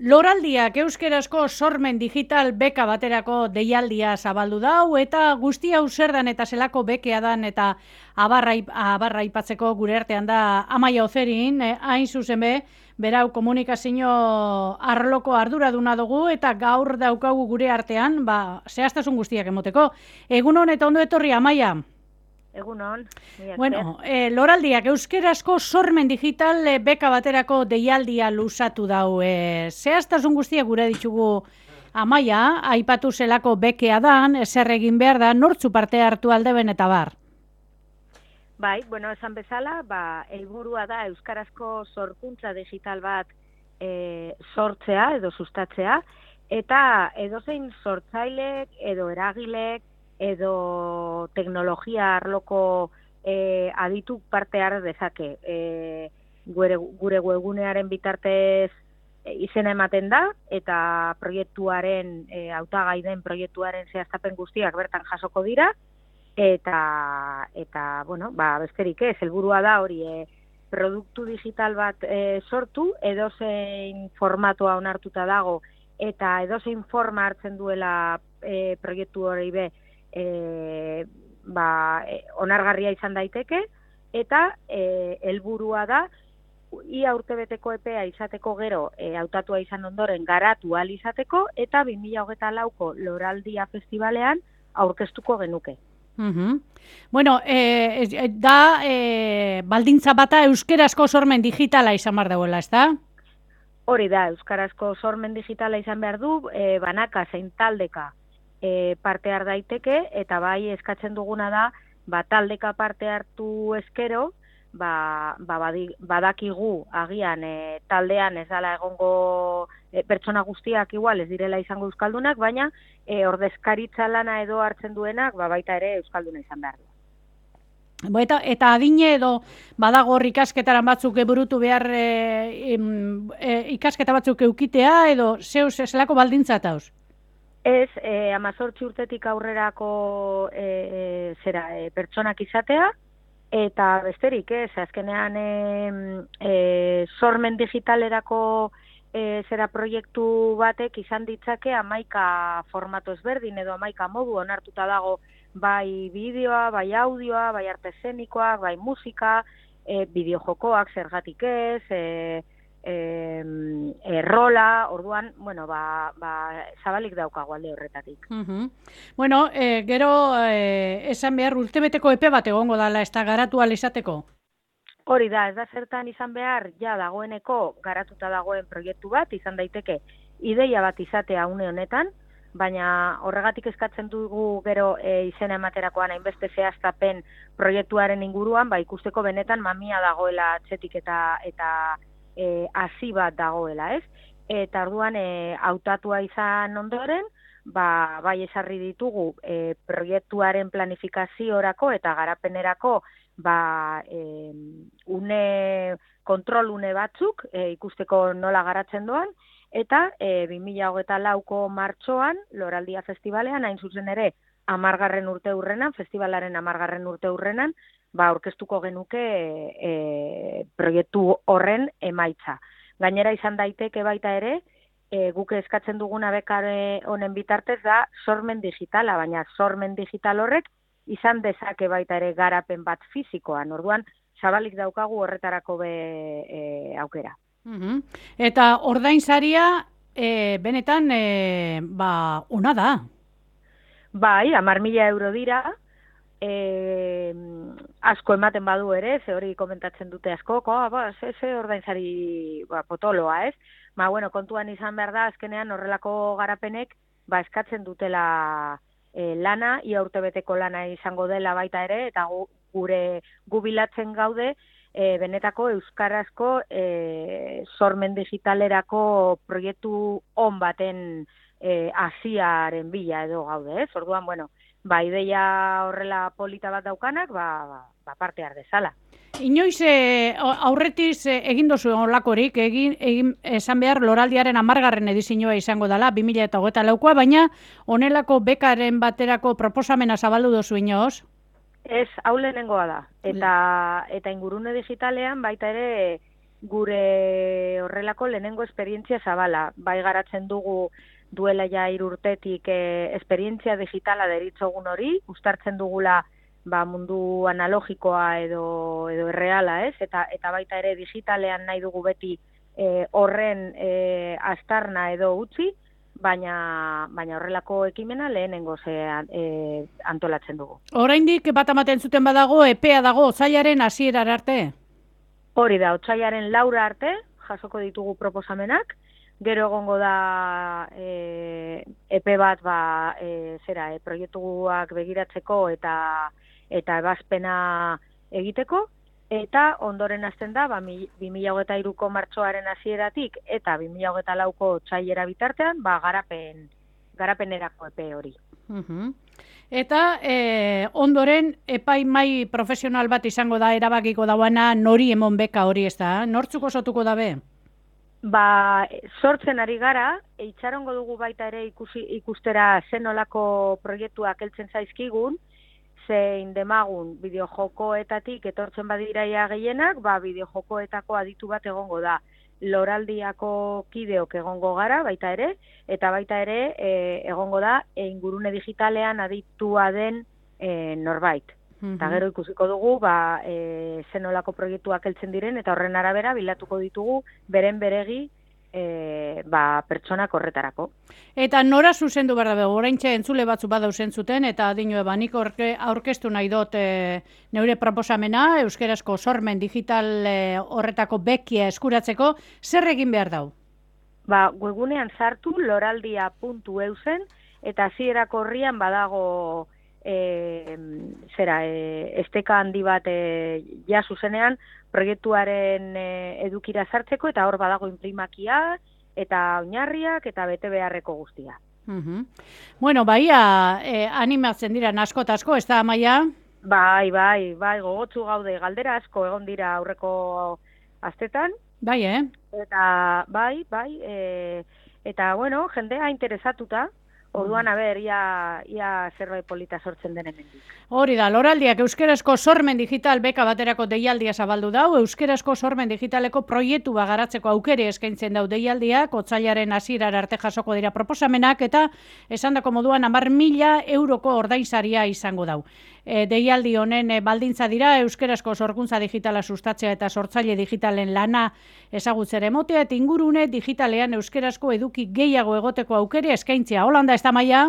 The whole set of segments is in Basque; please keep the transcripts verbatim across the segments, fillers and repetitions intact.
Loraldiak euskerazko sormen digital beka baterako deialdia zabaldu dau eta guzti hau zer dan eta zelako bekea dan eta abarra, abarra ipatzeko gure artean da Amaia Ozerin, eh, hain zuzen be, berau komunikazio arloko arduraduna dugu eta gaur daukagu gure artean, ba, zehaztasun guztiak emoteko. Egunon eta ondo etorri, Amaia. Egunon. Bueno, eh, Loraldiak euskerazko sormen digital eh, beka baterako deialdia luzatu dau. Eh, zehaztasun guztiak gure ditugu Amaia, aipatu zelako bekea dan, zer egin behar da, nortzu parte hartu aldeben eta bar. Bai, bueno, esan bezala, ba, helburua da euskarazko sorkuntza digital bat e, sortzea edo sustatzea, eta edozein sortzailek edo eragilek edo teknologia arloko e, adituk parte har dezake. E, gure, gure webgunearen bitartez e, izena ematen da, eta proiektuaren, e, hautagai den proiektuaren zehaztapen guztiak bertan jasoko dira, eta, eta bueno, ba, besterik ez, helburua da hori e, produktu digital bat e, sortu, edozein formatua onartuta dago, eta edozein forma hartzen duela e, proiektu hori be, E, ba, e, onargarria izan daiteke, eta e, helburua da ia urtebeteko epea izateko gero e, hautatua izan ondoren garatu ahal izateko, eta bi mila hogeita lauko Loraldia Festivalean aurkeztuko genuke. Uhum. Bueno, eh, da eh, baldintza bata euskerazko sormen digitala izan behar dauela, ez da? Hori da, euskarazko sormen digitala izan behar du, e, banaka zein taldeka E, parte har daiteke, eta bai eskatzen duguna da, ba, taldeka parte hartu eskero, ba, ba, badi, badakigu agian e, taldean ez dela egongo e, pertsona guztiak igual ez direla izango euskaldunak, baina e, ordezkaritza lana edo hartzen duenak, ba, baita ere euskalduna izan behar du. Eta, eta adine edo badago hor ikasketaran batzuk eburutu behar e, e, ikasketa batzuk eukitea edo zeus zelako baldintza tauz? Ez, eh, amazortzi urtetik aurrerako eh, zera, eh, pertsonak izatea, eta besterik, ez, azkenean eh, eh, sormen digitalerako eh, zera proiektu batek izan ditzake hamaika formato ezberdin edo hamaika modu onartuta dago bai bideoa, bai audioa, bai arte eszenikoak, bai musika, eh, bideojokoak zergatik ez, eh, E, errola, orduan, bueno, ba, ba, zabalik daukago alde horretatik. Uh-huh. Bueno, e, gero e, esan behar urtebeteko epe bat egongo dala, ez da garatu izateko? Hori da, ez da zertan izan behar, ja dagoeneko garatuta dagoen proiektu bat, izan daiteke ideia bat izatea une honetan, baina horregatik eskatzen dugu gero e, izena ematerakoan hainbeste zehaztapen proiektuaren inguruan, ba ikusteko benetan mamia dagoela atzetik eta eta E, hasi bat dagoela, ez? Eta orduan e, hautatua izan ondoren, ba, bai esarri ditugu e, proiektuaren planifikaziorako eta garapenerako ba, e, une, kontrol une batzuk e, ikusteko nola garatzen doan, eta e, bi mila hogeita lauko martxoan, Loraldia Festivalean, hain zuzen ere, amargarren urte hurrenan, festivalaren amargarren urte hurrenan, ba, aurkeztuko genuke e, proiektu horren emaitza. Gainera izan daiteke baita ere, e, guk eskatzen duguna bekare honen bitartez da sormen digitala, baina sormen digital horrek izan dezake baita ere garapen bat fizikoan. Orduan, zabalik daukagu horretarako be e, aukera. Uh-huh. Eta ordainsaria e, benetan e, ba, ona da? Bai, hamar mila euro dira, E, asko ematen badu ere, ze hori komentatzen dute asko, ko, ba, ze, ze ordainsari ba, potoloa, ez? Ma, bueno, kontuan izan behar da, azkenean horrelako garapenek, ba, eskatzen dutela e, lana, ia urtebeteko lana izango dela baita ere, eta gu, gure gubilatzen gaude, e, benetako euskarazko e, sormen digitalerako proiektu on baten e, hasiaren bila edo gaude, ez? Orduan, bueno, ba, ideia horrela polita bat daukanak, ba, ba, ba parte har dezala. Inoiz e, aurretiz e, egin dozu olakorik, egin, egin esan behar Loraldiaren amargarren edizioa izango dela, bi mila hogeita laukoa, baina honelako bekaren baterako proposamena zabaldu dozu inoz? Ez, hau lehenengoa da. Eta, eta ingurune digitalean baita ere gure horrelako lehenengo esperientzia zabala. Bai garatzen dugu duela ja hiru urtetik e, esperientzia digitala deritzogun hori, uztartzen dugula ba, mundu analogikoa edo edo erreala, ez? Eta eta baita ere digitalean nahi dugu beti e, horren e, astarna edo utzi, baina baina horrelako ekimena lehenengo ze e, antolatzen dugu. Oraindik bat ematen zuten badago epea dago otsailaren hasierara arte. Hori da, otsailaren laura arte jasoko ditugu proposamenak. Gero egongo da e, epe bat ba, e, zera, e, proiektuak begiratzeko eta eta ebazpena egiteko, eta ondoren hasten da ba, bi mila hogeita hiruko martxoaren hasieratik eta bi mila hogeita lauko otsailera bitartean ba, garapen, garapenerako epe hori. Uhum. Eta e, ondoren epaimai profesional bat izango da erabakiko dauana nori emon beka hori, ez da? Nortzuk osotuko dabe? Ba, sortzen ari gara, itxarongo dugu baita ere ikusi, ikustera zenolako proiektuak heltzen zaizkigun, zein demagun bideojokoetatik etortzen badiraia gehienak, ba, bideojokoetako aditu bat egongo da. Loraldiako kideok egongo gara, baita ere, eta baita ere e, egongo da e, ingurune digitalean aditua den e, norbait. Eta gero ikusiko dugu, ba, e, zenolako proiektuak heltzen diren, eta horren arabera bilatuko ditugu beren beregi e, ba, pertsonak horretarako. Eta nora zuzendu behar dabe, oraintxe entzule batzu badauzen zuten, eta adinue banik aurkeztu nahi dut e, neure proposamena, euskerazko sormen digital e, horretako bekia eskuratzeko, zer egin behar dau? Ba, webgunean sartu loraldia puntu eu zen, eta hasierako horrian badago E, zera, e, esteka handi bat e, ja zuzenean proiektuaren e, edukira sartzeko, eta hor badago inprimakia eta oinarriak eta bete beharreko guztia. Uhum. Bueno, baia e, animatzen dira asko eta asko, ez da, Amaia? Bai, bai, bai, gogotsu gaude, galdera asko egon dira aurreko astetan. Bai, eh? Eta, bai, bai, e, eta, bueno, jendea interesatuta. Orduan, a ber, ia, ia zerbait polita sortzen den hemendik. Hori da, Loraldiak euskerazko sormen digital beka baterako deialdia zabaldu dau, euskerazko sormen digitaleko proiektu garatzeko aukere eskaintzen dau deialdiak, otsailaren hasierara arte jasoko dira proposamenak, eta esandako moduan hamar mila euroko ordainsaria izango dau. E, deialdi honen e, baldintza dira euskerazko sorkuntza digitala sustatzea eta sortzaile digitalen lana ezagutzera emotea, eta ingurune digitalean euskerazko eduki gehiago egoteko aukere eskaintzea. Holanda, ez da, Maia?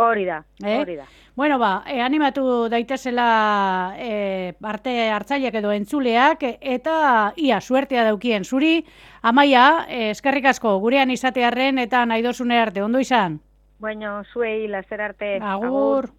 Hori da, eh? hori da. Bueno, ba, e, animatu daitezela e, parte hartzaileak edo entzuleak, eta ia, suertea daukien zuri. Amaia, e, eskerrik asko, gurean izatearren eta nahi dozune arte, ondo izan? Bueno, zuei, lazer arte. Agur. Agur.